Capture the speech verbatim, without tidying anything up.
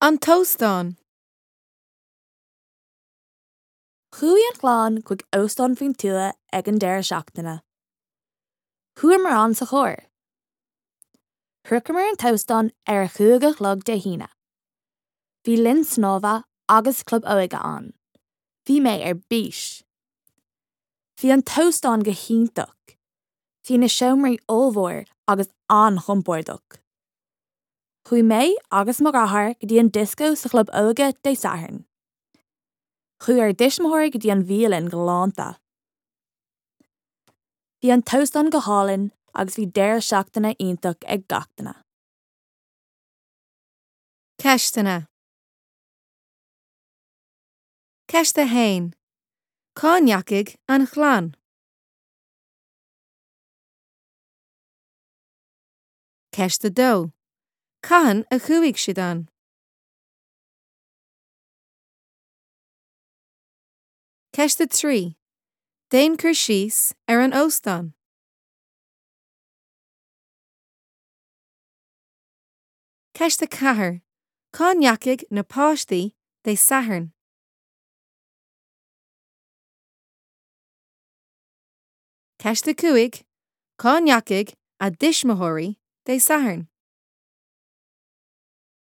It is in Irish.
An t-óstán. Chuaigh an chlann chuig óstán faoin tuath ag an deireadh seachtaine. Chuamar ann sa charr. Shroicheamar an t-óstán ar a cúig a chlog Dé hAoine. Bhí linn snámha agus club óige ann. Bhí mé ar bís. Bhí an t-óstán go hiontach. Bhí na seomraí ollmhór agus an-chompordach. Chuaigh mé agus mo dheartháir go dtí an dioscó sa chlub óige Dé Sathairn. Chuaigh ár dtuismitheoirí go dtí an bhialann galánta. Bhí an t-óstán go hálainn agus bhí deireadh seachtaine iontach ag gach duine. Ceisteanna. Ceist a haon. Cá ndeachaigh an chlann? Ceist a dó. Cathain a chuaigh siad ann? Ceist a trí. Déan cur síos ar an óstán. Ceist a ceathair. Cá ndeachaigh na páistí Dé Sathairn? Ceist a cúig. Cá ndeachaigh a dtuismitheoirí Dé Sathairn?